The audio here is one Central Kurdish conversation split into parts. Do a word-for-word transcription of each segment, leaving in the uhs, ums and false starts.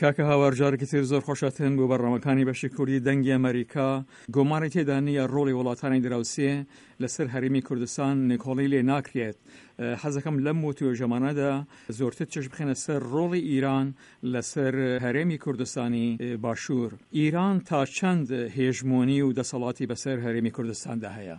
کاکە هاوار جارێکی تر زۆر خۆشاتن بۆ بەرنامەکانی بەشی کوردی دەنگی ئەمەریکا. گۆمانی تێدا نییە ڕۆڵی وڵاتانی دراوسێ لەسەر هەرێمی کوردستان نکۆڵی لێ ناکرێت. حەزەکەم لەم وتوێژەمانەدا زۆرتر چش بخێنە سەر ڕۆڵی ئیران لەسەر هەرێمی کوردستانی باشوور. ئیران تا چەند هێژمۆنی و دەسەڵاتی بەسەر هەرێمی کوردستاندا هەیە؟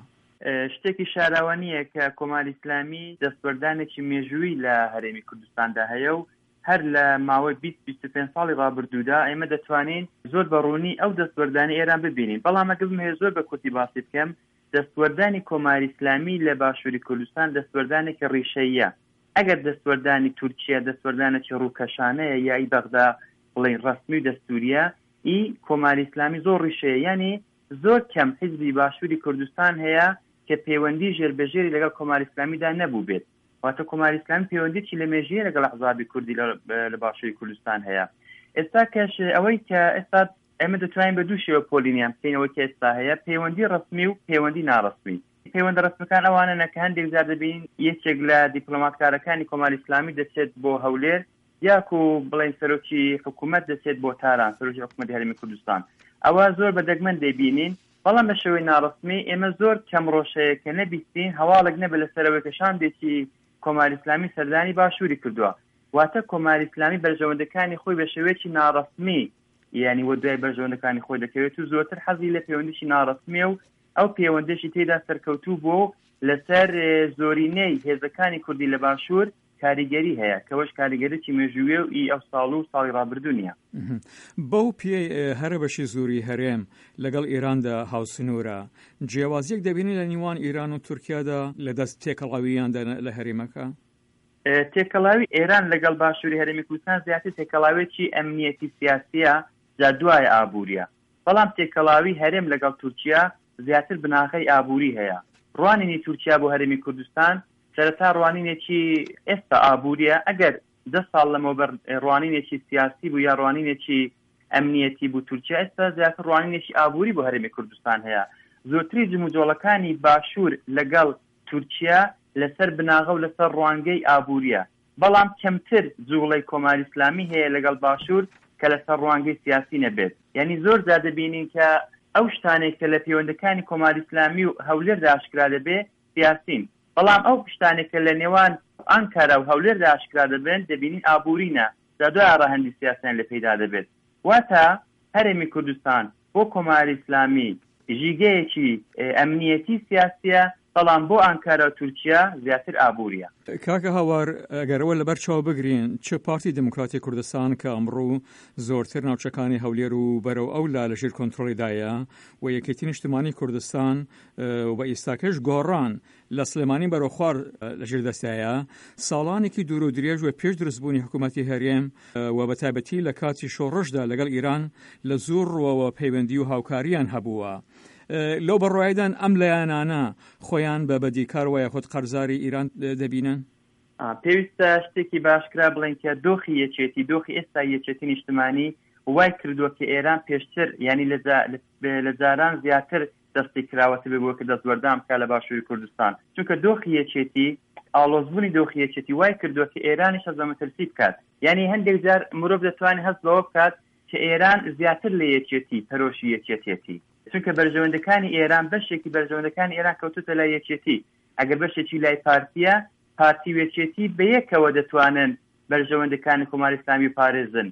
شتێکی شاراوە نییە کە کۆماری ئیسلامی دەستوەردانێکی مێژوویی لە هەرێمی کوردستاندا هەیە و هەر لە ماوەی بیست بیست و پێنج ساڵی ڕابردوودا ئێمە دەتوانین زۆر بە ڕوونی ئەو دەستوەردانی ئێران ببینین. بەڵام ئەگەر بمەوێت زۆر بە کورتی باسی بکەم، دەستوەردانی کۆماری ئیسلامی لە باشووری کوردستان دەستوەردانێکی ڕیشەییە. ئەگەر دەستوەردانی تورکیا دەستوەردانێکی ڕووکەشانەیە یا ئی بەغدا بڵێین ڕەسمی و دەستوریە، ئی کۆماری ئیسلامی زۆر ڕیشەیە. یعنی زۆر کەم حیزبی باشووری کوردستان هەیە کە پەیوەندی ژێربەژێری لەگەڵ کۆماری ئیسلامیدا نەبوو بێت. واتە کۆماری ئیسلامی پەیوەندیی لە مێژیە لەگەڵ ئەحزابی کوردی لە باشووری کوردستان هەیە. ئێستا کەش ئەوەی کە ئێستا ئێمە دەتوانین بە دوو شێوە پۆلینیان بکەینەوە کە ئێستا هەیە، پەیوەندی ڕەسمی و پەیوەندی ناڕەسمی. پەیوەندە ڕەسمیەکان ئەوانەنە کە هەندێک جار دەبینین یەکێک لە دیپلۆماتکارەکانی کۆماری ئیسلامی دەچێت بۆ هەولێر، یاکو بڵێن سەرۆکی حکوومەت دەچێت بۆ تاران، سەرۆکی حکوومەتی هەرێمی کوردستان. ئەوە زۆر بە دەگمەن دەیبینین. بەڵام بە شێوەی ناڕەسمی ئێمە زۆر کەم ڕۆژەیە کە نەبیستین هەواڵێک نەبێت لەسەرەوەی کە شاندێکی کۆماری ئیسلامی سەردانی باشووری کردووە. واتە کۆماری ئیسلامی بەرژەوەندەکانی خۆی بە شێوەیەکی ناڕەسمی یعنی وە دوای بەرژەوەندەکانی خۆی دەکەوێت و زۆرتر حەزی لە پەیوەندیی ناڕەسمیە و ئەو پەیوەندێکی تێدا سەرکەوتوو بوو لەسەر زۆرینەی هێزەکانی کوردی لە باشوور کاریگەری هەیە، کەوەش کاریگەریی مێژوویە و ئی ئەو ساڵ و ساڵی ڕابردوو نییە. بەو پێی هەرە بەشی زۆری هەرێم لەگەڵ ئێراندا هاوسنوورە، جیاوازیەک دەبینی لە نێوان ئێران و تورکیادا لە دەست تێکەڵاوییاندا لە هەرێمەکە؟ تێکەڵاوی ئێران لەگەڵ باشووری هەرێمی کوردستان زیاتر تێکەڵاوێکی ئەمنیەتی سیاسیە، جا دوای ئابووریە. بەڵام تێکەڵاوی هەرێم لەگەڵ تورکیا زیاتر بناغەی ئابووری هەیە. ڕوانینی تورکیا بۆ هەرێمی کوردستان سەرەتا ڕوانینێکی ئێستا ئابووریە. ئەگەر دە ساڵ لەمەوبەر ڕوانینێکی سیاسی بوو یا ڕوانینێکی ئەمنیەتی بوو، تورکیا ئێستا زیاتر ڕوانینێکی ئابووری بۆ هەرێمی کوردستان هەیە. زۆرتری جموجۆڵەکانی باشوور لەگەڵ تورکیا لەسەر بناغە و لەسەر ڕوانگەی ئابووریە، بەڵام کەمتر جوڵەی کۆماری ئیسلامی هەیە لەگەڵ باشوور کە لەسەر ڕوانگەی سیاسی نەبێت. یعنی زۆر جار دەبینین کە ئەو شتانێک کە لە پەیوەندەکانی کۆماری ئیسلامی و هەولێردا ئاشکرا دەبێ سیاسین، بەڵام ئەو پشتانێک کە لە نێوان ئانکارا و هەولێردا ئاشکرا دەبن دەبینین ئابوورینە، جا دوای ڕەهەندی سیاسیان لێ پەیدا دەبێت. واتە هەرێمی کوردستان بۆ کۆماری ئیسلامی ژیگەیەکی ئەمنیەتی سیاسیە، بەڵام بۆ ئانکارا و تورکیا زیاتر ئابووریە. کاکە هاوار، ئەگەر ئەوە لەبەر چاو بگرین چ پارتی دێموکراتی کوردستان کە ئەمڕۆ زۆرتر ناوچەکانی هەولێر و بەرەو ئەو لا لەژێر کۆنترۆڵیدایە و یەکێتی نیشتمانی کوردستان و ئێستاکەش گۆڕان لە سلێمانی بەرەو خوار لەژێر دەستایە، ساڵانێکی دوور و درێژ و پێش دروستبوونی حکوومەتی هەرێم و بە تایبەتی لە کاتی شۆڕشدا لەگەڵ ئیران لە زۆر ڕووەوە پەیوەندی و هاوکاریان هەبووە. لەو بڕوایدان ئەم لایەنانە خۆیان بە بەدیکار وایە خۆت قەرزاری ئیران دەبینن؟ پێویستە شتێکی باشکرا بڵێن کە دۆخی یەکێتی، دۆخی ئێستا یەکێتی نیشتمانی وای کردووە کە ئێران پێشتر یعنی لە جاران زیاتر دەستی کراوەتە بێ بۆ کە دەستوەردان بکات لە باشووری کوردستان، چونکە دۆخی یەکێتی، ئاڵۆزبوونی دۆخی یەکێتی وای کردووە کە ئێرانیش هەست بە مەترسی بکات. یعنی هەندێک جار مرۆڤ دەتوانێت هەست بەوە بکات کە ئێران زیاتر لە یەکێتی پەرۆشی یەکێتێتی، چونکە بەرژەوەندەکانی ئێران، بەشێکی بەرژەوەندەکانی ئێران کەوتوتە لای یەکێتی. ئەگەر بەشێکی لای پارتیە، پارتی و یەکێتی بەیەکەوە دەتوانن بەرژەوەندەکانی کۆماری ئیسلامی پارێزن.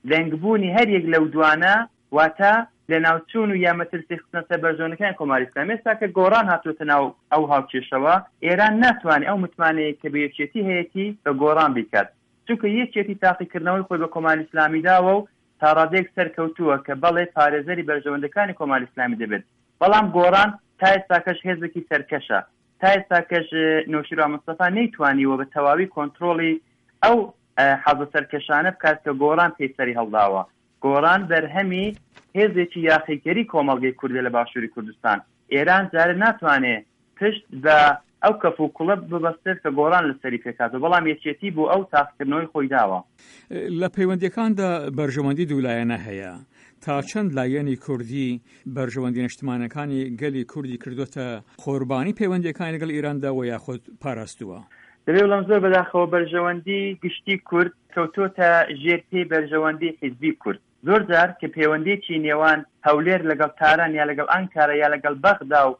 لەنگبوونی هەر یەک لەو دوانە واتە لە ناوچوون و یا مەترسی خستنە سەر بەرژەوەندەکانی کۆماری ئیسلامی. ئێستا کە گۆڕان هاتووەتە ناو ئەو هاوکێشەوە، ئێران ناتوانێت ئەو متمانەیە کە بە یەکێتی هەیەتی بە گۆڕان بیکات، چونکە یەکێتی تاقیکردنەوەی خۆی بە کۆماری ئیسلامی داوە و تا ڕادەیەک سەرکەوتووە کە بەڵێ پارێزەری بەرژەوەندەکانی کۆماری ئیسلامی دەبێت. بەڵام گۆڕان تا ئێستاکەش هێزێکی سەرکەشە، تا ئێستاکەش نەوشیروان مستەفا نەیتوانیوە بە تەواوی کۆنترۆڵی ئەو حەزە سەرکەشانە بکات کە گۆڕان پێی سەری هەڵداوە. گۆڕان بەرهەمی هێزێکی یاخیکەری کۆمەڵگەی کوردە لە باشووری کوردستان. ئێران جارێ ناتوانێت پشت بە ئەو کەف و کوڵە ببەستێت کە گۆڕان لەسەری پێکاتەوە، بەڵام یەکێتی بۆ ئەو تاقیکردنەوەی خۆی داوە. لە پەیوەندیەکاندا بەرژەوەندی دوولایەنە هەیە. تا چەند لایەنی کوردی بەرژەوەندی نیشتمانەکانی گەلی کوردی کردوتە قوربانی پەیوەندیەکانی لەگەڵ ئێراندا و یاخود پاراستووە؟ دەبێ بڵێم زۆر بەداخەوە بەرژەوەندی گشتی کورد کەوتۆتە ژێر پێی بەرژەوەندی حیزبی کورد. زۆر جار کە پەیوەندیی نێوان هەولێر لەگەڵ تاران یا لەگەڵ ئەنکارا یا لەگەڵ بەغدا و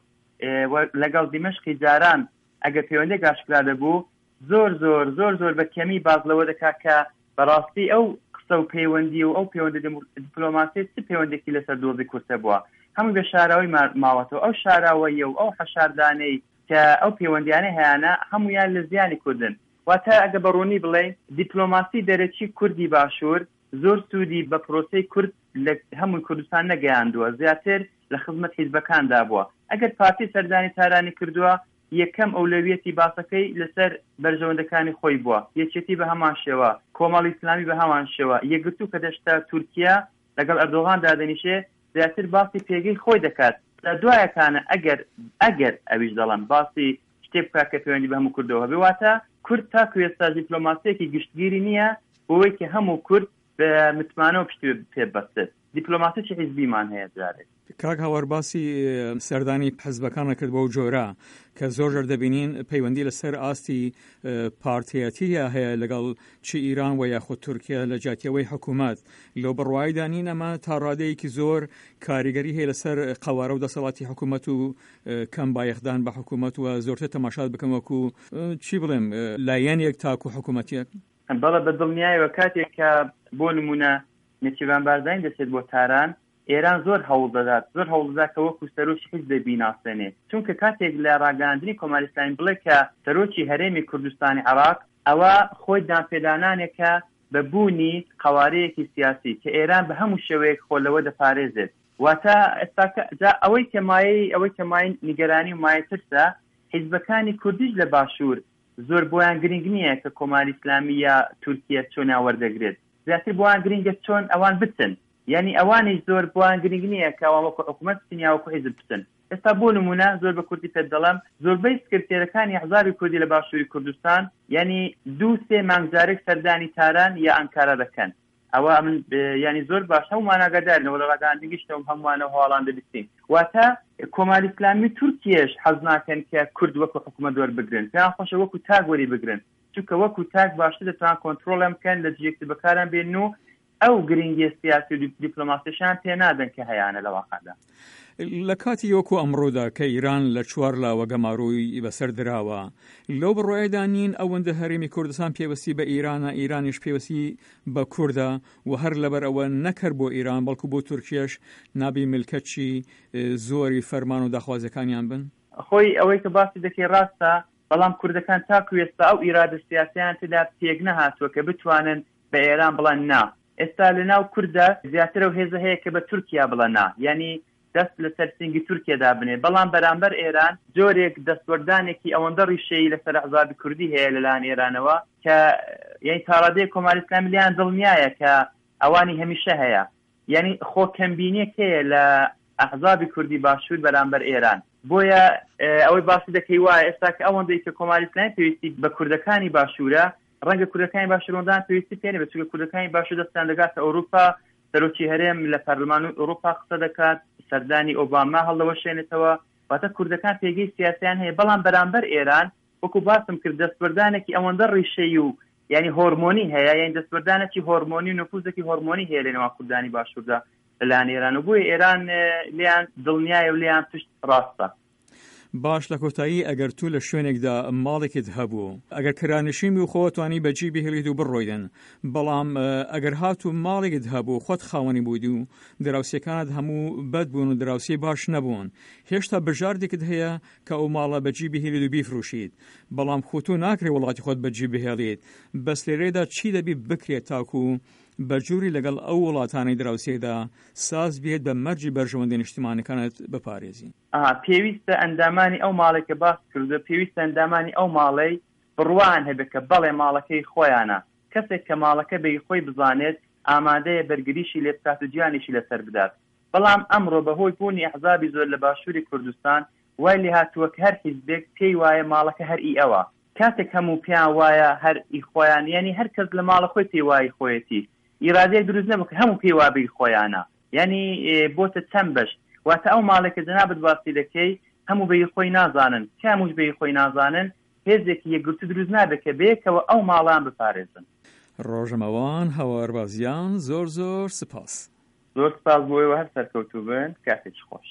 لەگەڵ دیمەشقی جاران ئەگەر پەیوەندێک ئاشکرا دەبوو، زۆر زۆر زۆر زۆر بە کەمی باز لەوە دەکات کە بەڕاستی ئەو قسە و پەیوەندی و ئەو پەیوەندی دیپلۆماسی چ پەیوەندێکی لەسەر دۆزی کورتە بووە، هەمووی بە شاراوەی ماوەتەوە. ئەو شاراوەیە و ئەو حەشاردانەی کە ئەو پەیوەندیانە هەیانە هەمویان لە زیانی کوردن. واتە ئەگە بەڕوونی بڵێ دیپلۆماسی دەرەکی کوردی باشوور زۆر سوودی بە پرۆسەی کورد لە هەمووی کوردستان نەگەیاندووە، زیاتر لە خزمەت حیزبەکاندا بووە. ئەگەر پارتی سەردانی تارانی کردووە، یەکەم ئەولەویەتی باسەکەی لەسەر بەرژەوەندەکانی خۆی بووە، یەکێتی بە هەمان شێوە، کۆمەڵی ئیسلامی بە هەمان شێوە، یەکگرتوو کە دەشتا تورکیا لەگەڵ ئەردۆغان دادەنیشێ زیاتر باسی پێگەی خۆی دەکات. لە دوایەکانە ئەگەر ئەگەر ئەویش دەڵێم باسی شتێک بکات کە پەیوەندی بە هەموو کوردەوە هەبێ، واتە کورد تاکو ئێستا دیپلۆماسیەکی گشتگیری نییە بۆی کە هەموو کورد بە متمانەوە پشتی پێ ببەستێت. دیپلۆماسیی حیزبیمان هەیە جارێک. کاک هاوار باسی سەردانی حزبەکانە کرد بەو جۆرە کە زۆر جار دەبینین پەیوەندی لەسەر ئاستی پارتیەتیە هەیە لەگەڵ چی ئیران و یاخود تورکیا لە جیاتیەوەی حکوومەت. لەو بڕوایدا نین ئەمە تا ڕادەیەکی زۆر کاریگەری هەیە لەسەر قەوارە و دەسەڵاتی حکوومەت و کەم بایەخدان بە حکوومەت و زۆرتر تەماشات بکەم وەکو چی بڵێم لایەنێک تاکو حکوومەتێک؟ بەڵێ بە دڵنیایەوە کاتێک کە بۆ نمونە نێچیرڤان بارزانی دەچێت بۆ تاران، ئێران زۆر هەوڵ دەدات، زۆر هەوڵ دەدات کە وەکو سەرۆکی حیزب بیناسێنێت. چونکە کاتێک لە ڕاگەیاندنی کۆماری ئیسلامی بڵێ کە سەرۆکی هەرێمی کوردستانی عێراق، ئەوە خۆی دانپێدانانێکە بە بوونی قەوارەیەکی سیاسی کە ئێران بە هەموو شێوەیەک خۆ لەوە دەپارێزێت. واتە ئێستا ئەوەی کە مایەی ئەوەی کە مایەی نیگەرانی و مایەی ترسە، حیزبەکانی کوردیش لە باشوور زۆر بۆیان گرنگ نییە کە کۆماری ئیسلامی یا تورکیا چۆنیان وەردەگرێت، زیاتر بۆیان گرنگە چۆن ئەوان بچن. یعنی ئەوانیش زۆر بۆیان گرنگ نییە کە ئەوان وەکو حکوومەت بچن یا وەکو حیزب بچن. ئێستا بۆ نمونە زۆر بە کوردی پێت دەڵێم، زۆربەی سکرتێرەکانی ئەحزابی کوردی لە باشووری کوردستان یعنی دوو سێ مانگ جارێک سەردانی تاران یا ئەنکارا دەکەن. ئەوە من یعنی زۆر باش هەمومان ئاگادارنەوە لە ڕاگەیاندنیشتەوە هەمووانەوە هەواڵان دەبیستین. واتە کۆماری ئیسلامی تورکیەش حەز ناکەن کە کورد وەکو حکوومەت وەربگرن، پێیان خۆشە وەکو تاک وەری بگرن، چونکە وەکو تاک باشتر دەتوان کۆنترۆڵیان بکەن، لە جێگەی بەکاران بێن و ئەو گرنگی سیاسی و دیپلۆماسیشیان پێ نادەن کە هەیانە لە واقعدا. لە کاتی وەکو ئەمڕۆدا کە ئیران لە چوار لاوە گەماروی بەسەر دراوە، لەو بڕوایەدا نین ئەوەندە هەرێمی کوردستان پێوەستی بە ئیرانە، ئیرانیش پێوەستی بە کوردە و هەر لەبەر ئەوە نەکرد بۆ ئیران بەڵکو بۆ تورکیەش نابی ملکەچی زۆری فەرمان و داخوازیەکانیان بن؟ خۆی ئەوەی کە باسی دەکەی ڕاستە، بەڵام کوردەکان تاکو ئێستا ئەو ئیرادە سیاسیان تێدا پێک نەهاتووە کە بتوانن بە ئێران بڵێن نا. ئێستا لەناو کوردە زیاتر ئەو هێزە هەیە کە بە تورکیا بڵێن نا، یعنی دەست لەسەر سنگی تورکیا دابنێ. بەڵام بەرامبەر ئێران جۆرێک دەستوەردانێکی ئەوەندە ڕیشەیی لەسەر ئەحزابی کوردی هەیە لەلایەن ئێرانەوە کە یعنی تاڕادەیەک کۆماری ئیسلامی لێیان دڵنیایە کە ئەوانی هەمیشە هەیە. یعنی خۆ کەمبینیەک هەیە لە ئەحزابی کوردی باشوور بەرامبەر ئێران. بۆیە ئەوەی باسی دەکەی وایە ئێستا کە ئەوەندەی کە کۆماری ئیسلامی پێویستی بە کوردەکانی باشوورە، ڕەنگە کوردەکانی باشوورەوەندان پێویستی پێ نەبێت، چونکە کوردەکانی باشوور دەستیان دەگاتە ئەوروپا، سەرۆکی هەرێم لە پەرلەمان ئەوروپا قسە دەکات، سەردانی ئۆباما هەڵدەوەشێنێتەوە. واتە کوردەکان پێگەی سیاسیان هەیە، بەڵام بەرامبەر ئێران وەکو باسم کرد دەستوەردانێکی ئەوەندە ڕیشەیی و یعنی هۆرمۆنی هەیە، یعنی دەستوەردانێکی هۆرمۆنی و نفوزێکی هۆرمۆنی هەیە لەنێوان کوردانی باشووردا لەلایەن ئێران و بۆیە ئێران لێیان دڵنیایە و لێیان پشت ڕاستە. باش لە کۆتایی ئەگەر تو لە شوێنێکدا ماڵێکت هەبوو، ئەگەر کرانشین و خۆتوانی بەجی بهێڵیت و بڕۆیدن، بەڵام ئەگەر هاتوو ماڵێکت هەبوو خۆت خاوەنی بوویت و دراوسێکانت هەموو بەد بوون و دراوسێ باش نەبوون، هێشتا بژاردێکت هەیە کە ئەو ماڵە بەجی بهێڵیت و بیفروشیت، بەڵام خۆ تۆ ناکرێ وڵاتی خۆت بەجی بهێڵیت. بەس لێرەدا چی دەبی بکرێت تاکو بەجووری لەگەڵ ئەو وڵاتانەی دراوسێدا ساز بێت بە مەرجی بەرژەوەندی نیشتیمانەکانت بپارێزی؟ ئاها، پێویستە ئەندامانی ئەو ماڵێک کە باس کردو، پێویستە ئەندامانی ئەو ماڵەی بڕوان هەبێت کە بەڵێ ماڵەکەی خۆیانە. کەسێک کە ماڵەکە بەی خۆی بزانێت ئامادەیە بەرگریشی لێ بکات و گیانیشی لەسەر بدات. بەڵام ئەمڕۆ بەهۆی بوونی ئەحزابی زۆر لە باشووری کوردستان وای لێهاتووە کە هەر حیزبێک پێی وایە ماڵەکە هەر ئی ئەوە. کاتێک هەموو پێیان وایە هەر ئی خۆیان، یعنی هەر کەس لە ماڵە خۆی پێی وای خۆیەتی، ئیرادەیەک دروست نەبوو کە هەموو پێی وابی خۆیانە، یعنی بۆتە چەند بەش. واتە ئەو ماڵێک کە جەنابت باسی دەکەی هەموو بەی خۆی نازانن، کاموش بەی خۆی نازانن هێزێکی یەکگرتوو دروست نابێت کە بەیەکەوە ئەو ماڵان بپارێزن. ڕۆژنامەوان هاوار بازیان زۆر زۆر سپاس. زۆر سپاس بۆ ئێوە، هەر سەرکەوتوو بن، کاتێکی خۆش.